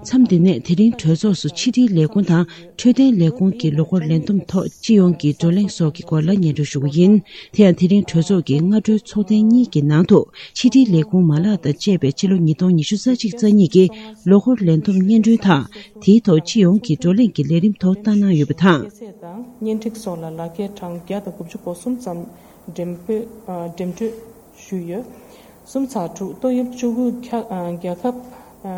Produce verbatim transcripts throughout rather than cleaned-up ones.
མཚམས་འདི་ནས་དེ་རིང་གྲོས་ཚོགས་སུ་ཕྱི་དྲིལ་ལས་ཁུངས་དང་འཕྲོད་བསྟེན་ལས་ཁུངས་ཀྱི་ལོ་འཁོར་ལས་བསྡོམས་ཐོག་སྤྱི་ཡོངས་ཀྱི་བགྲོ་གླེང་སོགས་ཀྱི་སྐོར་ལ་སྙན་སྒྲོན་ཞུ་གི་ཡིན། དེ་ཡང་དེ་རིང་གྲོས་ཚོགས་ཀྱི་སྔ་དྲོའི་ཚོགས་ཐེངས་གཉིས་ཀྱི་ནང་དུ་ཕྱི་དྲིལ་ལས་ཁུངས་མ་ལག་དང་བཅས་པའི་ཕྱི་ལོ་ཉིས་སྟོང་ཉི་ཤུ་རྩ་གཅིག་རྩ་གཉིས་ཀྱི་ལོ་འཁོར་ལས་བསྡོམས་སྙན་སྒྲོན་དང་། དེའི་ཐོག་སྤྱི་ཡོངས་ཀྱི་བགྲོ་གླེང་གི་ལས་རིམ་ཐོག་བཏང་གནང་ཡོད་པ་དང་། སྐྱེད་ཚལ་དང་གཉེན་སྒྲིག་སོགས་ལ་ལག་འཁྱེར་གྲངས་བརྒྱ་དང་དགུ་བཅུ་གོ་གསུམ་ཙམ་འགྲེམས་སྤེལ་ཨ་འགྲེམས་སྤྲོད་ཞུས་ཡོད། གསུམ་ཚེག་དྲུག་ཏོག་དབྱིབས་བཅུ་དགུ་ཁྱབ་ཨ་རྒྱལ་ཁབ་ཨ་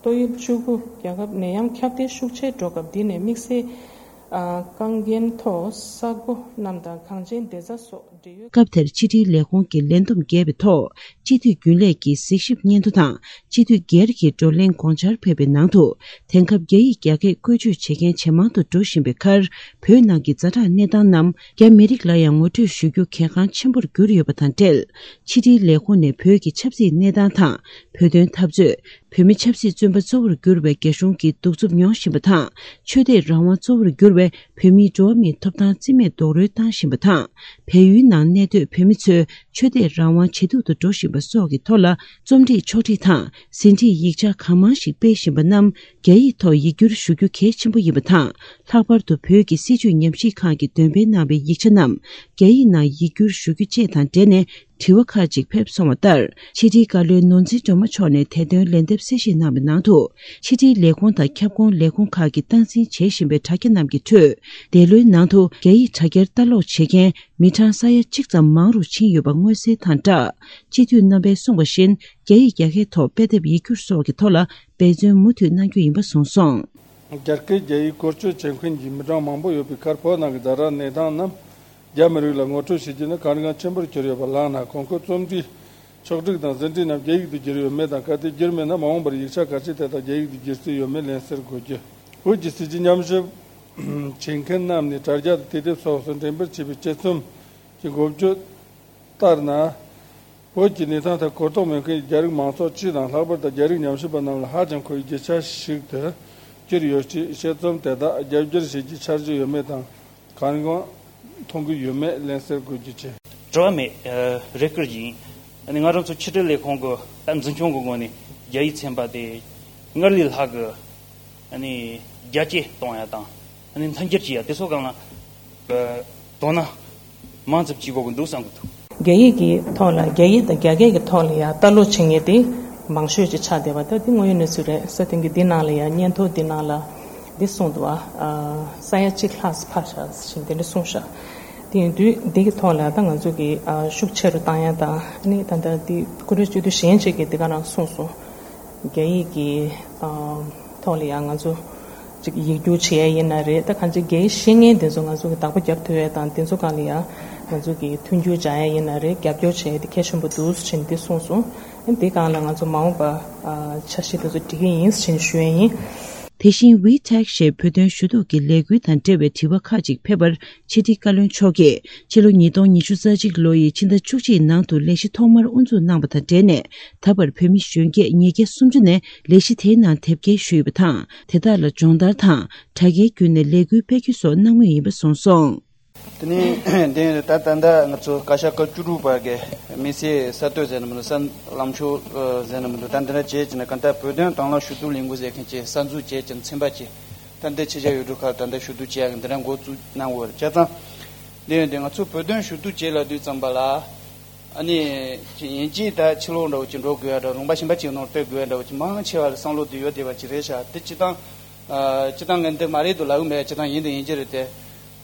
ཏོག་དབྱིབས་བཅུ་དགུ་རྒྱལ་ཁབ་ནད་ཡམས་ཁྱབ་གདལ་ཤུགས་ཆེར་འགྲོ་སྐབས། འདི་ནས་དམིགས་བསལ་ཨ་དཀའ་ངལ་ཐོག་ས་གོ་རྣམས་དང་གངས་ཅན་བདེ་རྩ་སོགས་འབྲེལ་ཡོད། སྐབས་དེར་ཕྱི་དྲིལ་ལས་ཁུངས་ཀྱི་ལས་བསྡོམས་བརྒྱབ་པའི་ཐོག་སྤྱི་འཐུས་རྒྱུན་ལས་ཀྱི་གཟིགས་ཞིབ་སྙན་ཐོ་དང་། སྤྱི་འཐུས་སྒེར་གྱི་བགྲོ་གླེང་དགོངས་འཆར་ཕེབས་པའི་ནང་དུ། དེང་སྐབས་རྒྱ་ཡིག་རྒྱ་སྐད་བཀོལ་སྤྱོད་བྱེད་མཁན་ཇེ་མང་དུ་འགྲོ་བཞིན་པའི་ཁར། བོད་ནང་གི་ཛ་དྲག་གནས་སྟངས་རྣམས་རྒྱ་མི་རིགས་ལ་ཡང་ངོ་སྤྲོད་ཞུ་རྒྱུ་གལ་འགངས་ཆེན་པོར་གྱུར་ཡོད་པ་དང་འབྲེལ། ཕྱི་དྲིལ་ལས་ཁུངས་ནས་བོད་ཀྱི་ཆབ་སྲིད་གནས་སྟངས་དང་། བོད་དོན་འཐབ་རྩོད། བོད་མི་ཆབ་སྲིད་བཙོན་པ་གཙོ་བོར་གྱུར་བའི་རྒྱ་གཞུང་གིས་གདུག་རྩུབ་མྱོང་བཞིན་པ་དང་། ཆོས་དད་རང་དབང་གཙོ་བོར་གྱུར་བའི་བོད་མིའི་འགྲོ་བ་མིའི་ཐོབ་ཐང་རྩིས་མེད་རྡོག་རོལ་བཏང་བཞིན་པ་དང་། བལ་ཡུལ་ནང་གནས་སྡོད་བོད་མི་ཚོའི་ཆོས་དད་རང་དབང་ཇེ་སྡུག་ཏུ་འགྲོ་བཞིན་པ་སོགས་ཀྱི་ཐོག་ལ། རྩོམ་སྒྲིག་ཕྱོགས་སྒྲིག་དང་། ཟིན་བྲིས་ཡིག་ཆ་གང་མང་ཞིག་སྤེལ་བཞིན་པ་རྣམས་རྒྱ་ཡིག་ཐོག་ཡིག་སྒྱུར་ཞུ་རྒྱུ་གལ་ཆེན་པོ་ཡིན་པ་དང་། ལྷག་པར་དུ་བོད་ཀྱི་སྲིད་བྱུས་ཉམས་ཞིབ་ཁང་གིས་འདོན་སྤེལ་གནང་བའི་ཡིག་ཆ་རྣམས་རྒྱ་ཡིག་ནང་ཡིག་སྒྱུར་ཞུ་རྒྱུ་བཅས་དང་འབྲེལ་ནས། དྲི་བ་ཁག་ཅིག་ཕེབས་སོང་བ་ལྟར། ཕྱི་དྲིལ་བཀའ་བློན་ནོར་འཛིན་སྒྲོལ་མ་མཆོག་ནས་དེ་དོན་ལན་འདེབས་གསལ་བཤད་གནང་བའི་ནང་དུ། ཕྱི་དྲིལ་ལས་ཁུངས་དང་ཁྱབ་ཁོངས་ལས་ཁུངས་ཁག་གིས་སྟངས་འཛིན་བྱེད་བཞིན་པའི་དྲ་རྒྱ་རྣམས་ཀྱི་ཁྲོད། འདས་ལོའི་ནང་དུ་རྒྱ་ཡིག་དྲ་རྒྱར་ལྟ་ཀློག་བྱེད་མཁན་མི་གྲངས་ས་ཡ་གཅིག་ཙམ་མང་རུ་ཕྱིན་ཡོད་པ་མངོན་གསལ་དང་སྦྲགས། སྤྱི་འཐུས་རྣམ་པས་གསུངས་པ་བཞིན། རྒྱ་ཡིག་རྒྱ་སྐད་ཐོག་དཔེ་དེབ་ཡིག་སྒྱུར་སོགས་ཀྱི་ཐོག་ལ་འབད་བརྩོན་མུ་མཐུད་གནང་རྒྱུ་ཡིན་པ་གསུངས་སོང་། རྒྱ་སྐད་རྒྱ་ཡིག་བཀོལ་སྤྱོད་བྱེད་མཁན་གྱི་མི་གྲངས་མང་པོ་ཡོད་པའི་ཁར། བོད་ནང་གི་ཛ་དྲག་གནས་སྟངས་རྣམས་རྒྱ་མི་རིགས་ལ་ངོ་སྤྲོད་བྱེད་རྒྱུ་ནི་གལ་འགངས་ཆེན་པོར་གྱུར་ཡོད་པ་ལགས་ན། གོང་འཁོད་རྩོམ་སྒྲིག་ཕྱོགས་སྒྲིག་དང་ཟིན་བྲིས་རྣམས་རྒྱ་ཡིག་ཏུ་བསྒྱུར་ཡོད་མེད་དང་། གལ་ཏེ་བསྒྱུར་མེད་ན། མ་འོངས་པར་ཡིག་ཆ་གལ་ཆེ་དེ་དག་རྒྱ་ཡིག་ཏུ་བསྒྱུར་རྩིས་ཡོད་མེད་ལན་གསལ་དགོས་རྒྱུ། བོད་ཀྱི་སྲིད་བྱུས་ཉམས་ཞིབ་བྱེད་མཁན་རྣམས་ནས་དྲ་རྒྱ་དང་དུས་དེབ་སོགས་སུ་འགྲེམས་སྤེལ་བྱས་པའི་དཔྱད་རྩོམ་གྱི་འགོ་བརྗོད་ལྟར་ན། བོད་ཀྱི་གནས་སྟངས་ཐད་གོ་རྟོགས་མེད་མཁན་རྒྱ་རིགས་མང་ཚོགས་སྤྱི་དང་། ལྷག་པར་དུ་རྒྱ་རིགས་ཉམས་ཞིབ་པ་རྣམས་ལ་ཧ་ཅང་མཁོ་བའི་རྒྱུ་ཆ་ཞིག་ཏུ་གྱུར་ཡོད་ཅེས། དཔྱད་རྩོམ་དེ་དག་རྒྱབ་བསྒྱུར་བྱེད་རྒྱུའི་འཆར་གཞི་ཡོད་མེད་དང་། གལ་འགངས་མཐོང་གི་ཡོད་མེད་ལན་གསལ་དགོས་རྒྱུ་བཅས། དྲི་བ་མེད། ཨ་རེ་སྐུལ་ཡིན། ཨ་ནི་ང་རང་ཚོ་ཕྱི་དྲིལ་ལས་ཁུངས་ཀྱི་ད་འཛིན་སྐྱོང་གི་ངོས་ནས་རྒྱ་ཡིག་ཚན་པ་དེ་སྔར་ལས་ལྷག་གི་ཨ་ནི་རྒྱ་སྐྱེད་གཏོང་ཡ་དང་། ཨ་ནི་མཐུན་འགྱུར་བྱེད་ཡ་དེ་ཚོ་སྒང་ལ་ཨ་དོ་སྣང་མང་ཙམ་བྱེད་དགོས་ཀྱི་འདུག་བསམ་གྱི་འདུག་རྒྱ་ཡིག་གི་ཐོག་ལ། རྒྱ་ཡིག་དང་རྒྱ་སྐད་ཀྱི་ཐོག་ལ་ཡ་ལྟ་ཀློག་བྱེད་མཁན་དེ་མང་ཤོས་ཅིག་ཆགས་བསྡད་པ། ད་དེ་དངོས་ཡོད་གནས་ཚུལ་རེད། སོ་དེང་གི་འདི་ནང་ལ་ཡ་སྙན་ཐོ་འདི་ནང་ལ་འདི་གསུངས་འདུག་ཨ། ས་ཡ་གཅིག་ལྷག་འཕར་ཤག་ཟེར་དེ་འདྲ་གསུངས་ཤག་དེ་ཡིན་དུས་འདི་གི་ཐོག་ལ་ད་ང་ཚོ་གི་ཨ་ཤུགས་ཆེ་རུ་བཏང་ཡ་དང་། ཨ་ནི་ད་ལྟ་འདི་སྐུ་མགྲོན་སྤྱི་འཐུས་གཞན་ཅིག་གིས་འདི་ག་རང་གསུངས་སོང་། རྒྱ་ཡིག་གི་ཨ་ཐོག་ལ་ཡང་ང་ཚོ་ཅིག་ཡིག་སྒྱུར་བྱེད་ཡ་ཡིན་ན་རེད། ད་གང་ཅི་རྒྱ་ཡིག་ཤེས་མཁན་དེ་ཚོ་ང་ཚོ་གི་བདག་པོ་རྒྱབ་ཐུབ་ཡ་དང་། དེ་ཚོ་སྒང་ལ་ཡང་ང་ཚོ་གི་མཐུན་འགྱུར་སྦྱང་ཡ་ཡིན་ན་རེད། རྒྱབ་སྐྱོར་བྱེད་ཡ་དེ་གལ་ཆེན་པོ་འདུག་ཟེར་ནས་འདི་གསུངས་སོང་། ཨ་ནི་འདི་སྒང་ལ་ང་ཚོ་མ་འོངས་པ་ཨ་འཆར་གཞི་དེ་ཚོ་སྒྲིག་གི་ཡིན་ཟེར་ནས་ཞུ་ཡ་ཡིན། དེ་བཞིན་ཝི་ཊེག་ཞེས་བོད་དོན་ཞུ་གཏུག་གི་ལས་འགུལ་དང་འབྲེལ་བའི་དྲི་བ་ཁག་ཅིག་ཕེབས་པར། ཕྱི་དྲིལ་བཀའ་བློན་མཆོག་གིས་ཕྱི་ལོ་ཉིས་སྟོང་ཉི་ཤུ་རྩ་གཅིག་ལོ་ཡི་ཕྱི་ཟླ་བཅུ་གཅིག་ནང་དུ་ལས་གཞི་ཐོག་མར་དབུ་འཛུགས་གནང་བ་དང་འབྲེལ་ནས། ད་བར་བོད་མི་གཞོན་སྐྱེས་ཉིས་བརྒྱ་སུམ་ཅུ་ནས་ལས་གཞི་དེའི་ནང་དེབ་སྐྱེལ་ཞུས་ཡོད་པ་དང་། དེ་དག་ལ་སྦྱོང་བརྡར་དང་དྲ་རྒྱའི་བརྒྱུད་ནས་ལས་འགུལ་སྤེལ་རྒྱུ་སོགས་གནང་མུས་ཡིན་པ་གསུངས་སོང་། དེ་ནས་དེ་ད་ད་ལྟ་ང་ཚོ་བཀའ་ཤག་སྐབས་བཅུ་དྲུག་པ་གི་དམིགས་བསལ་གསར་གཏོད་ཟེར་ན་མི་འདུག་གསར་ལམ་ཕྱོགས་ཟེར་ན་མི་འདུག་ད་འདི་འདྲ་བྱས་ཀྱི་ན། གང་ལྟར་བོད་དོན་དང་བླངས་ཞུ་གཏུག་ལས་འགུལ་ཟེར་མཁན་ཅིག་གསར་འཛུགས་བྱས་ཀྱི་ན། ཚན་པ་ཅིག་ད་ལྟའི་ཕྱི་རྒྱལ་ཡུལ་གྲུ་ཁག་ད་ལྟ་ཞུ་གཏུག་བྱེད་ཡག་གི་འདི་འདྲ་འགོ་བཙུགས་གནང་དགོས་རེད། བྱས་ཙང་འདི་ཡོད་དེ་ང་ཚོ་བོད་དོན་ཞུ་གཏུག་བྱེད་ལབ་དུས་ཙམ་པ་ལ། ཨ་ནི་ཅིག་ཡིན་གཅིག་ད་ཕྱི་ལོགས་འདྲ་བོ་ཅིག་འགྲོ་དགོས་ཡ་འདྲ། ལུང་པ་གཞན་པ་ཅིག་ནང་སྤེལ་དགོས་ཡ་འདྲ་བོ་ཅིག་མང་ཆེ་བ་ལ་བསམ་བློ་དེ་ཡོད་བསྡད་པ་ཅིག་རེད་ཤག་དེ་སྤྱིར་བཏང་ཨ་སྤྱིར་བཏང་ངས་འདི་མ་རེད་འདུག་ལབ་གི་མེད། སྤྱིར་བཏང་ཡིན་དང་ཡིན་གྱི་རེད་དེ།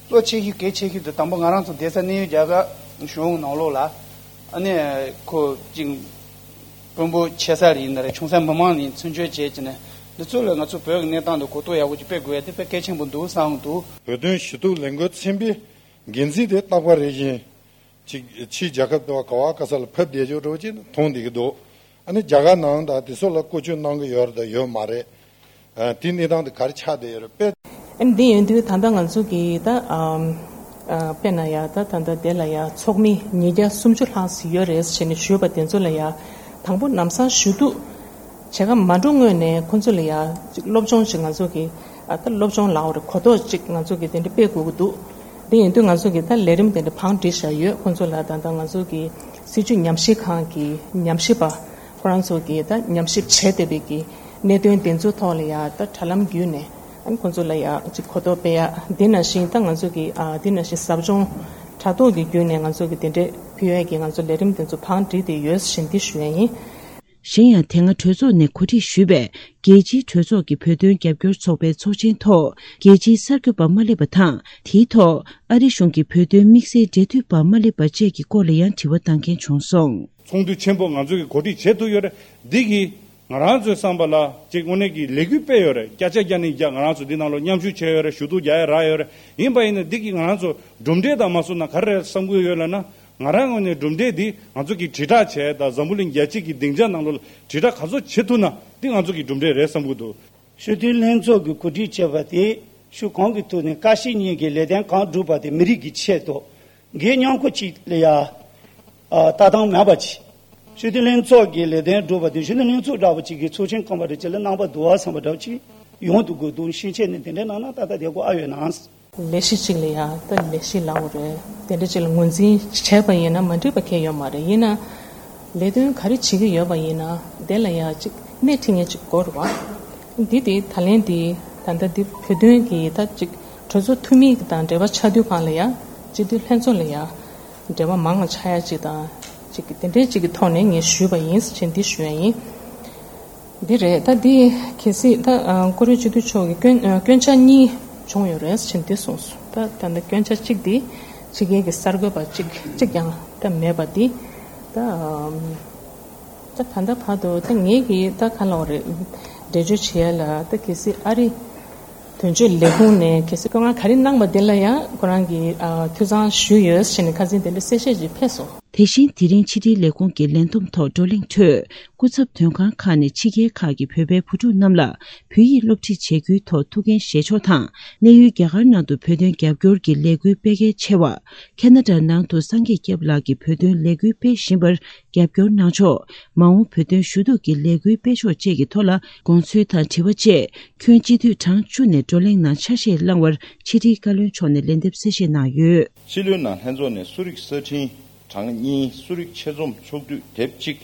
གཙོ་ཆེ་ཤོས་གལ་ཆེ་ཤོས་དེ་དང་པོ་ང་རང་ཚོ་བསྡད་ས་གནས་ཡུལ་རྒྱ་གར་གཞུང་ནང་ལོགས་ལ། ཨ་ནི་ཁོ་ཅིག་དཔོན་པོ་ཆེ་ས་ལ་ཡིན་ན་རེད། ཆུང་ས་མི་མང་ལ་ཡིན། བཙན་བྱོལ་བྱས་ཀྱི་ནས་འདི་ཚོ་ལ་ང་ཚོ་བོད་ཀྱི་གནས་སྟངས་དེ་གོ་རྟོགས་ཡག་པོ་ཅིག་སྤེལ་དགོས་ཡ་དེ་དཔེ་གལ་ཆེན་པོ་འདུག་བསམ་འདུག་བོད་དོན་ཞུ་གཏུག་ལས་འགུལ་ཚན་པའི་འགན་འཛིན་དེ་རྟག་པར་རེ་བཞིན་ཅིག་ཕྱིའི་རྒྱལ་ཁབ་དང་ག་བ་ག་ས་ལ་ཕེབས་བསྡད་ཡོད་འགྲོ་ཅེས་མཐོང་བསྡད་ཀྱི་འདུག་ཨ་ནི་རྒྱ་གར་ནང་དང་དེ་ཚོ་ལ་བཀོལ་སྤྱོད་གནང་གི་ཡོད་རེད་དང་ཡོད་མ་རེད། ཨ་དེ་གནས་སྟངས་དེ་ག་རེ་ཆགས་བསྡད་ཡོད་རེད་དཔེ། ཨ་ནི་འདི་ཡིན་དུས་ད་ལྟ་ང་ཚོ་གི་ད་ཨམ་ཨ་དཔེར་ན་ཡ་ད་ད་ལྟ་དེ་ལ་ཡ་ཚོགས་མི་ཉིས་བརྒྱ་སུམ་ཅུ་ལྷག་ཙམ་ཡོད་རེད་ཟེར་ནས་ཞུས་པ་དེ་ཚོ་ལ་ཡ་དང་པོ་ལམ་སང་ཞུ་གཏུག་བྱེད་ག་མ་འགྲོ་སྔོན་ནས་ཁོ་ཚོ་ལ་ཡ་ཅིག་སློབ་སྦྱོང་ཅིག་ང་ཚོ་གི་ཨ་ད་སློབ་སྦྱོང་ལབ་དགོས་རེད། གོ་རྟོགས་ཅིག་ང་ཚོ་གི་དེ་འདྲ་སྤེལ་དགོས་ཀྱི་འདུག་དེ་ཡིན་དུས་ང་ཚོ་གི་ད་ལས་རིམ་དེ་འདྲ་བང་བསྒྲིགས་བཞག་ཡོད། ཁོ་ཚོ་ལ་ད་ལྟ་ང་ཚོ་གི་སྲིད་བྱུས་ཉམས་ཞིབ་ཁང་གི་ཉམས་ཞིབ་པ་ཁོ་རང་ཚོ་གི་ད་ཉམས་ཞིབ་བྱས་བསྡད་པའི་གི་ གནད་དོན་དེ་ཚོའི་ཐོག་ལ་ཡ་ད་དྲ་ལམ་བརྒྱུད་ནས་ཨ་ནི་ཁོང་ཚོ་ལ་ཡ་ཅིག་གོ་རྟོགས་སྤེལ་ཡ། འདི་ནང་བཞིན་ད་ང་ཚོ་གི་ཨ་འདི་ནང་བཞིན་ཟབ་སྦྱོང་དྲ་ཐོག་གི་བརྒྱུད་ནས་ང་ཚོ་གི་དེ་འདྲས་ཕུལ་ཡས་ཀྱི་ང་ཚོ་ལས་རིམ་དེ་ཚོ་བང་བསྒྲིགས་ཏེ་ཡོད་ཟེར་འདི་ཞུ་ཡ་ཡིན། གཞན་ཡང་དེ་སྔ་གྲོས་ཚོགས་ནས་གོ་སྒྲིག་ཞུས་པའི་རྒྱལ་སྤྱིའི་གྲོས་ཚོགས་ཀྱི་བོད་དོན་རྒྱབ་སྐྱོར་ཚོགས་པའི་ཚོགས་ཆེན་ཐོག་རྒྱལ་སྤྱིའི་གསར་འགོད་པ་མ་སླེབས་པ་དང་། དེའི་ཐོག་ཨ་རི་གཞུང་གི་བོད་དོན་དམིགས་བསལ་འབྲེལ་མཐུད་པ་མ་སླེབས་པ་བཅས་ཀྱི་སྐོར་ལ་ཡང་དྲི་བ་བཏང་མཁན་བྱུང་སོང་། ཚོགས་འདུ་ཆེན་པོ་ང་ཚོ་གིས་གོ་སྒྲིག་བྱེད་ཐུབ་ཡོད་རེད། འདི་གིས་ང་རང་ཚོའི་བསམ་པ་ལ་ཅིག་དངོས་གནས་ཀྱི་ལས་འགུལ་སྤེལ་ཡོད་རེད། བརྒྱ་ཆ་བརྒྱ་ནས་བརྒྱ་ང་རང་ཚོ་འདི་ནང་ལོགས་མཉམ་ཞུགས་བྱས་ཡོད་རེད། ཞུ་གཏུག་རྒྱག་ཡ་རག་ཡོད་རེད། ཡིན་པ་ཡིན་ན་འདི་གིས་ང་རང་ཚོ་གྲུབ་འབྲས་དང་མ་སོང་ན་ག་རེ་རེད་བསམ་གྱི་ཡོད་ལབ་ན། ང་རང་ངོས་ནས་གྲུབ་འབྲས་འདི་ང་ཚོ་གིས་དྲིལ་བསྒྲགས་བྱས་དང་། འཛམ་བུ་གླིང་རྒྱལ་སྤྱི་གི་སྡིངས་ཆ་ནང་ལོགས་ལ་དྲིལ་བསྒྲགས་ག་ཚོད་བྱེད་ཐུབ་ན་འདི་ང་ཚོ་གི་གྲུབ་འབྲས་རེད་བསམ་གྱི་འདུག། སྤྱི་འཐུས་ལྷན་ཚོགས་ཀྱིས་གོ་སྒྲིག་བྱས་པ་དེ་ཤུགས་གང་གི་ཐོག་ནས་ཀ་ཤི་གཉིས་ཀྱི་ལས་དོན་གང་བསྒྲུབས་པ་དེ་མི་རིགས་ཀྱི་ཆེད་དུ་འགན་མཉམ་འཁུར་གཅིག་ལ་ཡ་ལྟ་སྟངས་མེད་པ་ཅིག། སྤྱི་འཐུས་ལྷན་ཚོགས་ཀྱི་ལས་དོན་བསྒྲུབས་པ་དེ་སྤྱི་འཐུས་ལྷན་ཚོགས་འདྲ་པོ་ཅིག་གི་ཚོགས་ཆེན་ཁང་པ་འདྲ་ཅིག་ལ་གནང་པ་འདུག་བ་བསམ་པ་འདྲ་པོ་ཅིག་ཡོང་འདུག་གི་འདུག། ཕྱིན་ཆད་ནས་དེ་འདྲའི་གནང་ན་ཏག་ཏག་བསྡད་དགོས་ཨ་ཡོད་ན། ལས་གཞི་གཅིག་ལ་ཡ་ད་ལས་གཞི་ལབ་དགོས་རེད། དེ་འདྲ་ཅིག་ལ་ངོས་འཛིན་བྱས་པ་ཡིན་ན་མ་འགྲིག་པ་གང་ཡོད་མ་རེད། ཡིན་ན་ལས་དོན་ག་རེ་བྱེད་ཀྱི་ཡོད་པ་ཡིན་ན་དེ་ལ་ཡ་ཅིག་སྣེ་ཁྲིད་མཁན་ཅིག་དགོས་རེད་བ། འདི་དེ་ད་ལན་དེ་ད་ལྟ་འདི་བོད་དོན་གྱི་ད་ཅིག་གྲོས་ཚོགས་འཐུས་མི་དང་འབྲེལ་བ་ཆགས་དུས་གང་ལ་ཡ་སྤྱི་འཐུས་ལྷན་ཚོགས་ལ་ཡ་འབྲེལ་བ་མང་བ་ཆགས་ཡ་ཅིག་དང་ཅིག་དེ་འདྲའི་ཅིག་གི་ཐོག་ནས་ངས་ཞུས་པ་ཡིན་ཟེར་འདི་ཞུ་ཡ་ཡིན། འདི་རེད། ད་འདི་གལ་སྲིད་ད་ཨ་བཀུར་འོས་སྤྱི་འཐུས་མཆོག་གིས་སྐྱོན་ཨ་སྐྱོན་ཆ་གཉིས་བྱུང་ཡོད་རེད་ཟེར་འདི་གསུངས་སོང་། ད་ད་ལྟ་སྐྱོན་ཆ་གཅིག་འདི་ཕྱི་རྒྱལ་གྱི་གསར་འགོད་པ་གཅིག་གཅིག་ཀྱང་ད་མེད་པ་འདི་ད་ཨམ་ད་ད་ལྟ་བར་དུ་ད་ངེད་ཀྱིས་ད་ག་ལབ་དགོས་རེད། འགྲེལ་བརྗོད་བྱེད་ཡ་ལ་ད་གལ་སྲིད་ཨ་རི་དོན་གཅོད་ལས་ཁུངས་ནས་གལ་སྲིད་བཀའ་མངགས་ག་རེ་གནང་པ་དེ་ལ་ཡང་ཁོ་རང་གིས་ཨ་འཐུས་ཚང་ཞུས་ཡོད་ཟེར་ནས་ཁ་སང་དེ་འདྲ་གསལ་བཤད་ཅིག་ཕེབས་སོང་། དེ་བཞིན་དེ་རིང་ཕྱི་དྲིལ་ལས་ཁུངས་ཀྱི་ལས་བསྡོམས་ཐོག་བགྲོ་གླེང་ཁྲོད། སྐུ་ཚབ་དོན་ཁང་ཁག་ནས་ཕྱི་རྒྱལ་ཁག་གི་བོད་པའི་བུ་ཕྲུག་རྣམས་ལ་བོད་ཡིག་སློབ་ཁྲིད་བྱེད་རྒྱུའི་ཐོག་ཐུགས་འགན་བཞེས་ཕྱོགས་དང་། གནས་ཡུལ་རྒྱ་གར་ནང་དུ་བོད་དོན་རྒྱབ་སྐྱོར་གྱི་ལས་འགུལ་སྤེལ་གལ་ཆེ་བ། ཁེ་ན་ཌ་ནང་དུ་སངས་རྒྱས་སྐྱབས་ལགས་ཀྱི་བོད་དོན་ལས་འགུལ་སྤེལ་བཞིན་པར་རྒྱབ་སྐྱོར་གནང་ཕྱོགས། མ་འོངས་བོད་དོན་ཞུ་གཏུག་གི་ལས་འགུལ་སྤེལ་ཕྱོགས་བཅས་ཀྱི་ཐོག་ལ་དགོངས་ཚུལ་དང་དྲི་བ་བཅས། ཁྱོན་སྤྱི་འཐུས་གྲངས་བཅུ་ནས་བགྲོ་གླེང་ནང་ཆ་ཤས་བླངས་པར་ཕྱི་དྲིལ་བཀའ་བློན་མཆོག་ནས་ལན་འདེབས་གསལ་བཤད་གནང་ཡོད། ཕྱི་ལོའི་ནང་ལྷན་ཚོགས་ནས་གསོ་རིག་གསར་འཕྲིན་གྲངས་གཉིས། གསོ་རིག་ཆེད་རྩོམ་ཕྱོགས་བསྡུས་དེབ་གཅིག།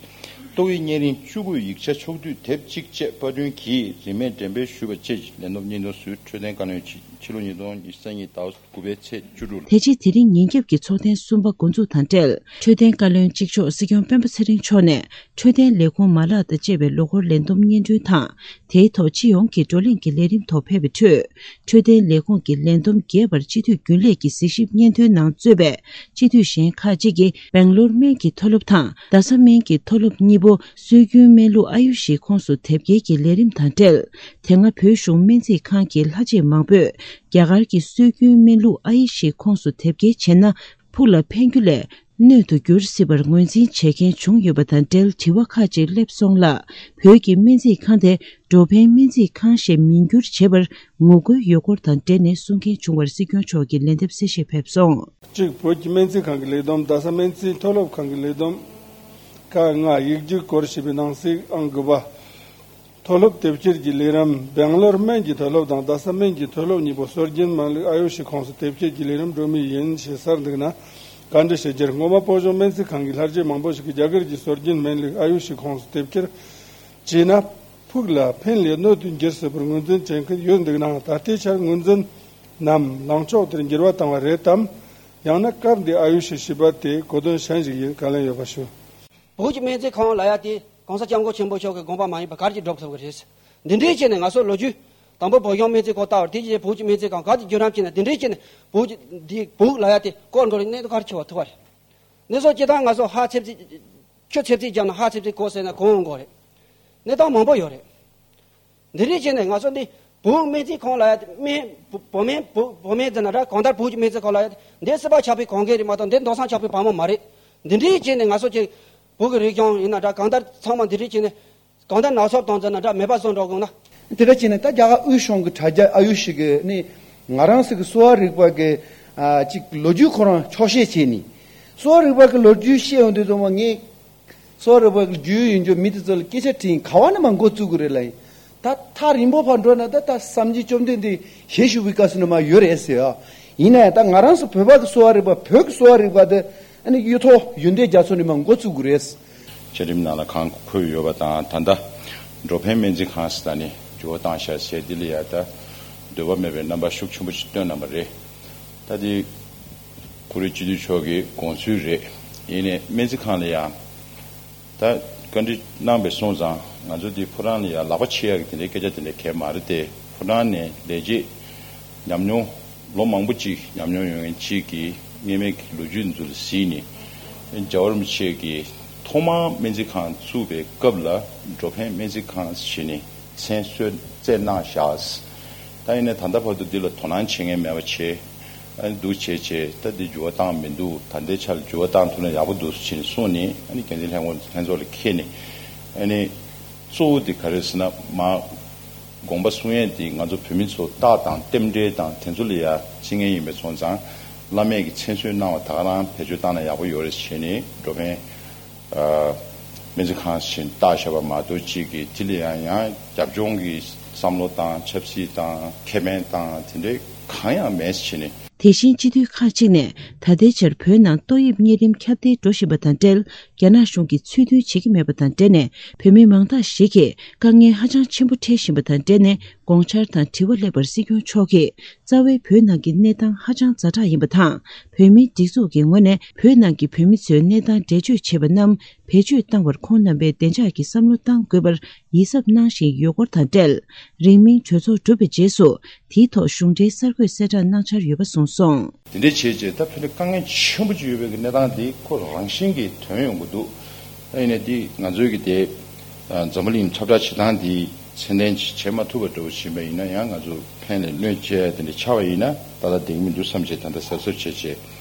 ཏོག་དབྱིབས་གཉན་རིམས་བཅུ་དགུ་ཡིག་ཆ་ཕྱོགས་བསྡུས་དེབ་གཅིག་བཅས་པར་སྐྲུན་གྱིས་རིན་མེད་འགྲེམས་སྤེལ་ཞུས་པ་བཅས་ཀྱི་ལས་བསྡོམས་སྙིང་དོན་ཞུས། འཕྲོད་བསྟེན་བཀའ་བློན་ཕྱི་ཕྱི་ལོ་ཉིས་སྟོང་ཉི་ཤུ་རྩ་གཉིས་ཟླ་བ་དགུ་པའི་ཚེས་བཅུ་དྲུག་ལ། དེ་རྗེས་དེ་རིང་ཉིན་རྒྱབ་ཀྱི་ཚོགས་ཐེངས་གསུམ་པ་འགོ་འཛུགས་དང་འབྲེལ། འཕྲོད་བསྟེན་བཀའ་བློན་གཅིག་ལྕོགས་སྲིད་སྐྱོང་སྤེན་པ་ཚེ་རིང་མཆོག་ནས་འཕྲོད་བསྟེན་ལས་ཁུངས་མ་ལག་དང་བཅས་པའི་ལོ་འཁོར་ལས་བསྡོམས་སྙན་སྒྲོན་དང་། དེའི་ཐོག་སྤྱི་ཡོངས་ཀྱི་བགྲོ་གླེང་གི་ལས་རིམ་ཐོག་ཕེབས་པའི་ཁྲོད། འཕྲོད་བསྟེན་ལས་ཁུངས་ཀྱི་ལས་བསྡོམས་རྒྱས་པར་སྤྱི་འཐུས་རྒྱུན་ལས་ཀྱི་གཟིགས་ཞིབ་སྙན་ཐོའི་ནང་གཙོས་པའི་སྤྱི་འཐུས་གཞན་ཁག་ཅིག་གིས་སྦེང་ལོར་སྨན་གྱི་མཐོ་སློབ་དང་རྡ་ས་སྨན་གྱི་མཐོ་སློབ་གཉིས་པོ་སྲོལ་རྒྱུན་སྨན་ལུགས་ཨ་ཡུ་ཤི་ཁོངས་སུ་དེབ་སྐྱེལ་གྱི་ལས་རིམ་དང་འབྲེལ། དེ་སྔ་བོད་གཞུང་སྨན་རྩིས་ཁང་གི་ལྷ་བྱེད་མང་པོས་རྒྱ་གར་གྱི་སྲོལ་རྒྱུན་སྨན་ལུགས་ཨ་ཡུ་ཤི་ཁོངས་སུ་དེབ་སྐྱེལ་བྱས་ན། ཕུགས་ལ་ཕན་རྒྱུ་ལས་གནོད་དུ་འགྱུར་སྲིད་པར་ངོས་འཛིན་བྱེད་མཁན་བྱུང་ཡོད་པ་དང་འབྲེལ་དྲི་བ་ཁག་ཅིག་སླེབས་སོང་ལ། བོད་ཀྱི་སྨན་རྩིས་ཁང་དེ་འགྲོ་ཕན་སྨན་རྩིས་ཁང་ཞིག་མིང་བསྒྱུར་བྱེད་པར་ངོ་རྒོལ་ཡོད་སྐོར་དང་འབྲེལ་ནས་གསུང་མཁན་བྱུང་བར་སྲིད་སྐྱོང་མཆོག་གིས་ལན་འདེབས་གསལ་བཤད་ཕེབས་སོང་། གཅིག་བོད་ཀྱི་སྨན་རྩིས་ཁང་གི་ལས་བསྡོམས། རྡ་ས་སྨན་རྩིས་མཐོ་སློབ་ཁང་གི་ལས་བསྡོམས། ཀ་ལྔ། ཡིག་རྒྱུགས་སྐོར་ཞེས་པའི་ནང་གསེས་ཨང་དགུ་པ། མཐོ་སློབ་དེབ་སྐྱེལ་གྱི་ལས་རིམ། སྦེང་ལོར་སྨན་གྱི་མཐོ་སློབ་དང་རྡ་ས་སྨན་གྱི་མཐོ་སློབ་གཉིས་པོ་སྲོལ་རྒྱུན་སྨན་ལུགས་ཨ་ཡུ་ཤི་ཁོངས་སུ་དེབ་སྐྱེལ་གྱི་ལས་རིམ་འགྲོ་མུས་ཡིན་ཞེས་གསལ་འདུག་ན། བཀའ་འདྲི་ཞུ་རྒྱུར། སྔོན་མ་བོད་གཞུང་སྨན་རྩིས་ཁང་གི་ལྷ་བྱེད་མང་པོ་ཞིག་གིས་རྒྱ་གར་གྱི་སྲོལ་རྒྱུན་སྨན་ལུགས་ཨ་ཡུ་ཤི་ཁོངས་སུ་དེབ་སྐྱེལ་བྱས་ན། ཕུགས་ལ་ཕན་ལས་གནོད་དུ་འགྱུར་སྲིད་པར་ངོས་འཛིན་བྱེད་མཁན་ཡོད་འདུག་ན། ད་ལྟའི་ཆར་ངོས་འཛིན་ནམ་ལངས་ཕྱོགས་དེར་འགྱུར་བ་བཏང་བ་རེད་དམ། ཡང་ན་སྐབས་འདིའི་ཨ་ཡུ་ཤི་ཞེས་པ་དེ་གོ་དོན་གཞན་ཞིག་ཡིན། བཀའ་ལན་ཡོད་པ་ཞུ། བོད་ཀྱི་སྨན་རྩིས་ཁང་ལབ་ཡ་དེ་གོང་ས་སྐྱབས་མགོན་ཆེན་པོ་མཆོག་གི་དགོངས་པ་མ་ཡིན་པ་ག་རེ་ཅིག་སྒྲུབ་ཐུབ་ཀྱི་རེད། འདི་འདྲའི་བྱས་ནས་ང་ཚོ་ལོ་རྒྱུས་དང་པོ་བོད་གཞུང་སྨན་རྩིས་ཁང་ལྟ་བར། དེ་རྗེས་བོད་ཀྱི་སྨན་རྩིས་ཁང་ག་དེ་བརྒྱུད་རིམ་བྱས་ནས་འདི་འདྲའི་བྱས་ནས་བོད་ཀྱི་འདི་བོད་ལབ་ཡ་དེ་སྐོར་འགྲོ་རེད། གནས་ཚུལ་ག་རེ་ཆེ་བ་ཐུབ་པ་རེད། གནས་ཚུལ་སྤྱི་བཏང་ང་ཚོ་ཧ་ཚེབ་ཚེབ་ཁྱོད་ཚེབ་ཚེབ་བརྒྱབ་ན་ཧ་ཚེབ་ཚེབ་གོ་ཟེར་ན་གོ་འོང་གོ་རེད། གནས་སྟངས་མང་པོ་ཡོད་རེད། འདི་འདྲའི་བྱས་ནས་ང་ཚོ་འདི་བོད་སྨན་རྩིས་ཁང་ལབ་ཡ་དེ་སྨན་བོད་སྨན་བོད་བོད་སྨན་ཟེར་ན་འདྲ། གང་ལྟར་བོད་ཀྱི་སྨན་རྩིས་ཁང་ལབ་ཡ་དེ་འདི་སྲིད་པ་ཆགས་པའི་གང་གལ་རེད་མ་གཏོགས་འདི་མདོ་སང་ཆགས་པའི་བ་མོ་མ་རེད། འདི་འདྲའི་བྱས་ནས་ང་ཚོ་ཀྱི་བོད་ཀྱི་རིག་གཞུང་ཡིན་ན་འདྲ། གང་ལྟར་ཚང་མ་འདི་འདྲའི་བྱས་ནས་གང་ལྟར་ནག་ཚོབ་བཏང་ཟེར་ན་འདྲ། མེད་པ་བཟོ་འགྲོ་དགོས་ན། དེ་འདྲ་བྱས་ནས་ད་རྒྱ་གར་དབུས་གཞུང་གི་དྲ་རྒྱ་ཨ་ཡུ་ཤི་གི་ནི་ང་རང་ཚོ་གི་གསོ་བ་རིག་པ་གི་ཨ་ཅིག་ལོ་རྒྱུས་ཁོ་རང་འཁྱོག་བཤད་བྱས་ནི། གསོ་བ་རིག་པ་གི་ལོ་རྒྱུས་བཤད་ཡོང་དུས་ཙམ་པ་ངས། གསོ་བ་རིག་པ་གི་རྒྱུས་ཡོད་རྒྱུ་མི་དེ་ཚོ་ལ་སྐད་ཆ་དྲིས། ག་བ་ནས་མ་འགོ་བཙུགས་དགོས་རེད་ལབ་ཡིན། ད་ཐག་རིང་པོ་ཕར་འགྲོ་ན་ད་ད་སངས་རྒྱས་བཅོམ་ལྡན་འདས་ཞལ་བཞུགས་པའི་སྐབས་སུ་ནས་མ་ཡོད་རེད་ཟེར་ཡ། ཡིན་ན་ཡང་ད་ང་རང་ཚོ་བོད་པ་གི་གསོ་བ་རིག་པ། བོད་ཀྱི་གསོ་བ་རིག་པ་དེ་ཨ་ནི་གཡུ་ཐོག་ཡོན་ཏན་རྒྱ་མཚོ་ནས་མ་འགོ་བཙུགས་དགོས་རེད། བཅའ་ཁྲིམས་ནང་ལ་གང་འཁོད་ཡོད་པ་དང་། ད་ལྟ་ འགྲོ་ཕན་སྨན་རྩིས་ཁང་ཟེར་ད་ནི་འགྱུར་བ་བཏང་ཤག་ཟེར་འདི་ལ་ཡ་ད་འདོད་པ་མེད་པའི་རྣམ་པ་ཤུགས་ཆེན་པོ་ཅིག་སྟོན་གནང་བ་རེད། ད་འདི་ཁོ་རའི་སྤྱི་འཐུས་མཆོག་གི་དགོངས་ཚུལ་རེད། ཡིན་ནའི་སྨན་རྩིས་ཁང་ལ་ཡ་ད་བཀའ་འདྲི་གནང་བའི་སོང་ཙང་ང་ཚོ་འདི་ཕོ་བྲང་ལ་ཡ་ལག་པ་ཕྱེ་ཡག་གི་དེ་འདྲའི་སྐད་ཆ་དེ་འདྲ་གས་མ་རེད་དེ། ཕོ་བྲང་ནས་ལས་བྱེད་ཉམས་མྱོང་ལོ་མང་པོ་ཅིག་ཉམས་མྱོང་ཡོད་མཁན་གཅིག་གིས་སྔོན་མའི་གི་ལོ་རྒྱུས་འདི་ཚོ་ལ་གཟིགས་ནས། རྒྱལ་བ་རིན་པོ་ཆེ་གིས་ཐོག་མར་སྨན་རྩིས་ཁང་བཙུགས་པའི་སྐབས་ལ་འགྲོ་ཕན་སྨན་རྩིས་ཁང་ཟེར་ནས་མཚན་གསོལ་བསྩལ་གནང་བཞག་ད་ཡིན་ནའི་ད་ལྟ་བར་དུ་འདི་ལ་དོ་སྣང་བྱེད་མཁན་མེད་པ་བྱས། ཨ་ནི་འདུག་བྱས་བྱས་ད་འདི་འགྱུར་བ་བཏང་མི་འདུག་ད་ལྟའི་ཆར་ལ་འགྱུར་བ་བཏང་ཐུབ་ན་ཡག་པོ་འདུག་ཟེར་ནས་གསུངས་ནས། ཨ་ནི་འགན་འཛིན་ལྷན་ཁང་ལྷན་ཚོགས་ལ་འཁྱེར་ནས། ཨ་ནི་གཙོ་བོ་འདི་ག་རེ་ཟེར་ན་མ། དགོངས་པ་གསུང་ཡས་འདི་ང་ཚོ་བོད་མི་ཚོ་རྟགས་དང་རྟེན་འབྲེལ་དང་དེ་ཚོ་ལ་ཡ་བརྩི་མཁན་ཡིན་པའི་སོང་ཙང་། བླ་མས་ཀྱི་མཚན་གསོལ་གནང་བ་ད་ག་རང་བེད་སྤྱོད་བཏང་ན་ཡག་པོ་ཡོད་རེད་ཟེར་ནས་འགྲོ་ཕན་ཨ་སྨན་རྩིས་ཁང་ཞིག་བཏགས་བཞག་པ་མ་གཏོགས། གཅིག་གིས་དེ་ལ་ཡང་ཡང་རྒྱབ་ལྗོངས་ཀྱི་བསམ་བློ་དང་ཆབ་སྲིད་དང་ཁེ་ཕན་དང་དེ་འདྲའི་གང་ཡང་མེད་ཟེར་ནས། དེ་བཞིན་སྤྱི་འཐུས་ཁག་ཅིག་ནས་ད་ལྟའི་ཆར་བོད་ནང་ཏོག་དབྱིབས་གཉན་རིམས་ཁྱབ་གདལ་འགྲོ་བཞིན་པ་དང་འབྲེལ། རྒྱ་ནག་གཞུང་གིས་ཚུལ་མཐུན་བྱེད་ཀྱི་མེད་པ་དང་འབྲེལ་ནས། བོད་མི་མང་དག་ཞིག་གིས་དཀའ་ངལ་ཧ་ཅང་ཆེན་པོ་འཕྲད་བཞིན་པ་དང་འབྲེལ་ནས། དགོངས་འཆར་དང་དྲི་བ་སླེབས་པར་སྲིད་སྐྱོང་མཆོག་གིས། རྩ་བའི་བོད་ནང་གི་གནས་སྟངས་ཧ་ཅང་ཛ་དྲག་ཡིན་པ་དང་། བོད་མིའི་སྒྲིག་འཛུགས་ཀྱི་ངོས་ནས་བོད་ནང་གི་བོད་མི་ཚོའི་གནས་སྟངས་འགྲེལ་བརྗོད་བྱས་པ་རྣམས་བེད་སྤྱོད་བཏང་བར་ཁོང་རྣམ་པས་བདེ་འཇགས་ཀྱི་བསམ་བློ་གཏང་དགོས་པར་ཡིད་གཟབ་གནང་བཞིན་ཡོད་སྐོར་དང་འབྲེལ། རིང་མིན་གྲོས་ཚོགས་གྲུབ་པའི་རྗེས་སུ་དེའི་ཐོག་གཞུང་འབྲེལ་གསར་འགོད་གསལ་བསྒྲགས་གནང་འཆར་ཡོད་པ་གསུངས་སོང་། དེ་འདྲའི་བྱས་རྗེས་ད་ཕན་ནི་དཀའ་ངལ་ཆེན་པོ་ཅིག་ཡོད་པའི་གནས་སྟངས་འདི་ཁོ་རང་བཞིན་གྱིས་ཐོན་ཡོང་གི་འདུག་ད་ཡིན་ནའི་འདི་ང་ཚོའི་གི་དེ་འཛམ་བུ་གླིང་ཁྱབ་བསྒྲགས་བྱེད་སྟངས་འདི་ཚད་ལྡན་ཅིག་བྱེད་མ་ཐུབ་པ་འདྲ་བོ་ཕྱིན་པ་ཡིན་ན་ཡང་། ང་ཚོ་ཕན་ལས་གནོད་བྱས་དེ་འདྲ་ཆགས་པ་ཡིན་ན་ད་ལྟ་བསྡད་ཀྱི་མི་འདུག་བསམ་བྱས་ད་ལྟ་གཟབ་གཟབ་བྱས་བྱས་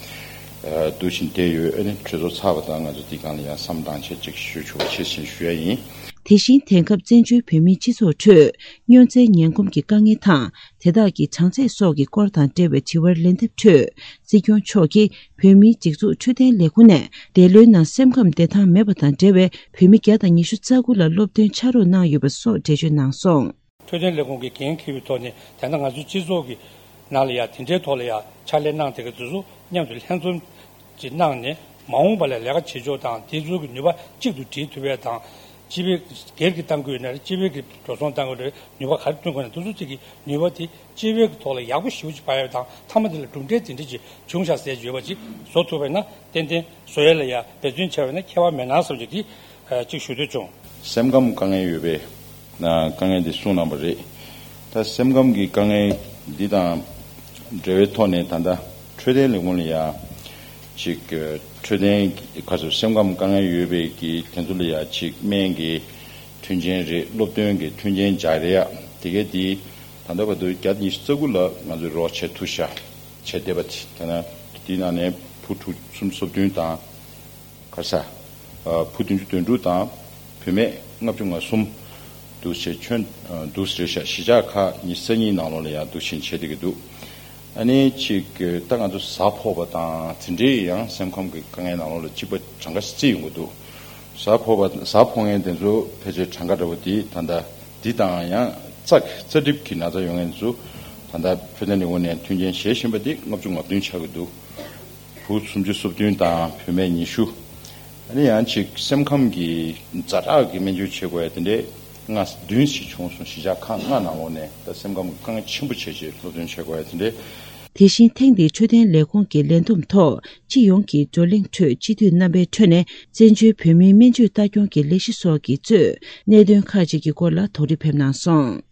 འདུག་བཞིན་བསྡད་ཡོད། ཨ་ནི་གྲོས་ཚོགས་ཚར་བ་དང་ང་ཚོ་འདི་སྒང་ལ་ཡང་བསམ་བློ་བཏང་བྱས་ཅིག་ཞུ་ཆོག་པ་བྱེད་ཟིན་ཞུ་ཡ་ཡིན། དེ་བཞིན་དེང་སྐབས་བཙན་བྱོལ་བོད་མིའི་སྤྱི་ཚོགས་ཁྲོད་སྨྱོ་རྫས་ངན་གོམས་ཀྱི་དཀའ་ངལ་དང་། དེ་དག་གི་གྲངས་ཚད་སོགས་ཀྱི་སྐོར་དང་འབྲེལ་བའི་དྲི་བར་ལན་འདེབས་ཁྲོད། སྲིད་སྐྱོང་མཆོག་གིས་བོད་མིའི་སྒྲིག་འཛུགས་འཕྲོད་བསྟེན་ལས་ཁུངས་ནས་འདས་ལོའི་ནང་སེམས་ཁམས་བདེ་ཐང་མེད་པ་དང་འབྲེལ་བའི་བོད་མི་བརྒྱ་དང་ཉི་ཤུ་རྩ་དགུ་ལ་སློབ་སྟོན་ཕྱག་རོགས་གནང་ཡོད་པ་སོགས་འགྲེལ་བརྗོད་གནང་སོང་། འཕྲོད་བསྟེན་ལས་ཁུངས་ཀྱིས་འགན་འཁྱེར་བའི་ཐོག་ནས་ད་ལྟ་ང་ཚོའི་སྤྱི་ཚོགས་ཀྱི་ནང་ལ་ཡ་དེ་འདྲའི་ཐོག་ལ་ཡ་ཕྱག་ལས་གནང་བསྡད་མཁན་དེ་ཚོ་མཉམ་དུ་ལྷན་འཛོམས་ཅིག་གནང་ནས། མ་འོངས་པ་ལ་ལས་ཀ་བྱེད་ཕྱོགས་དང་དེ་ཚོ་གི་ནུས་པ་གཅིག་ཏུ་སྒྲིལ་ཐུབ་ཡས་དང་། སྤྱི་པའི་སྒེར་གྱི་གཏང་དགོས་ན་རེད། སྤྱི་པའི་གི་འགྲོ་སོང་གཏང་དགོས་རེད། ནུས་པ་ག་རེ་བཏོན་དགོས་ན་དེ་ཚོ་གཅིག་གི་ནུས་པ་དེ་སྤྱི་པའི་གི་ཐོག་ལ་ཡག་པོ་ཞེ་པོ་ཅིག་སྤར་ཡས་དང་། མཐའ་མ་དེ་ལ་གྲུབ་འབྲས་དེ་འདྲ་ཅིག་བྱུང་ཤག་ཟེར་ཡོད་པ་ཅིག་བཟོ་ཐུབ་པ་ཡིན་ན་ཏན་ཏན་བཟོ་ཡས་ལ་ཡ་འབད་བརྩོན་བྱས་པ་ཡིན་ན་ཁྱད་པར་མེད་ན་བསམ་གྱི་དེ་ཅིག་ཞུ་འདོད་བྱུང་། སེམས་ཁམས་དཀའ་ངལ་ཡོད་པའི་དཀའ་ངལ་འདི་གསུངས་གནང་བ་རེད། ད་སེམས་ཁམས་ཀྱི་དཀའ་ངལ་འདི་དང་འབྲེལ་བའི་ཐོག་ནས་ད་ལྟ་འཕྲོད་བསྟེན་ལས་ཁུངས་ལ་ཡ་ཅིག་འཕྲོད་བསྟེན་ག་ཚོད་སེམས་ཁམས་དཀའ་ངལ་ཡོད་པའི་གི་དེ་ཚོ་ལ་ཡ་ཅིག་སྨན་གྱི་མཐུན་རྐྱེན་རེད། སློབ་སྟོན་གྱི་མཐུན་རྐྱེན་སྦྱར་ཡ་དེ་གས་དེ་ད་ལྟ་བར་དུ་བརྒྱ་ཉི་ཤུ་རྩ་དགུ་ལ་ང་ཚོས་རོགས་བྱེད་ཐུབ་ཤག་བྱས་བསྡད་པ་དེ། ད་ནི་དེའི་ནང་ནས་ཕྲུ་གུ་སུམ་ཅུ་སོ་བདུན་དང་། ག་རེ་ཟ། ཨ། བུ་བདུན་ཅུ་དོན་དྲུག་དང་བུད་མེད་ལྔ་བཅུ་ང་གསུམ་འདུག་བྱས། ཁྱོན་འདུག་རེད་ཤག་གཞིས་ཆགས་ཁག་ཉི་ཤུ་རྩ་གཉིས་ནང་ལོགས་ལ་ཡང་འདུག་བཞིན་བྱས་བསྡད་ཀྱི་འདུག་ཨ་ནི་ཅིག་ད་ང་ཚོ་གཟའ་ཕོག་པ་དང་དེ་འདྲའི་ཡང་སེམས་ཁམས་ཀྱི་དཀའ་ངལ་ནང་ལོགས་ལ་གཅིག་པ་གྲངས་ཀ་བརྩིས་ཡོང་གི་འདུག་གཟའ་ཕོག་པ། གཟའ་ཕོག་མཁན་དེ་ཚོ་ཕལ་ཆེར་གྲངས་ཀ་འདྲ་པོ་དེ་ད་ལྟ་འདི་དང་ཡང་རྩ་རྩ་གྲིབ་ཀྱི་ན་ཚ་ཡོང་མཁན་དེ་ཚོ་ད་ལྟ་འཕྲོད་བསྟེན་ལས་ཁུངས་ནས་མཐུན་རྐྱེན་བྱེད་བཞིན་པ་དེ་ལྔ་བཅུ་ང་བདུན་ཆགས་ཀྱི་འདུག་བུ་སུམ་ཅུ་སོ་བདུན་དང་བུད་མེད་ཉི་ཤུ། ཨ་ནི་ཡང་ཅིག་སེམས་ཁམས་ཀྱི་ཛ་དྲག་གི་སྨན་བཅོས་བྱེད་དགོས་ཡ་དེ་འདྲས་ལྔ་བདུན་ཞིག་བྱུང་སོང་། གཞིས་ཆགས་ཁག་ལྔ་ནང་ལོགས་ནས་ད་སེམས་ཁམས་ཀྱི་དཀའ་ངལ་ཆེན་པོ་བྱས་བྱས་སློབ་སྟོན་བྱེད་དགོས་ཡ་དེ་འདྲས། དེ་བཞིན་ཐེངས་འདིའི་འཕྲོད་བསྟེན་ལས་ཁུངས་ཀྱི་ལས་བསྡོམས་ཐོག་སྤྱི་ཡོངས་ཀྱི་བགྲོ་གླེང་ཁྲོད་སྤྱི་འཐུས་རྣམ་པའི་ཁྲོད་ནས་བཙན་བྱོལ་བོད་མིའི་སྨན་བཅོས་ལྟ་སྐྱོང་གི་ལས་གཞི་སོགས་ཀྱི་གཙོས་གནད་དོན་ཁག་ཅིག་གི་སྐོར་ལ་དོགས་འདྲི་ཕེབས་གནང་སོང་།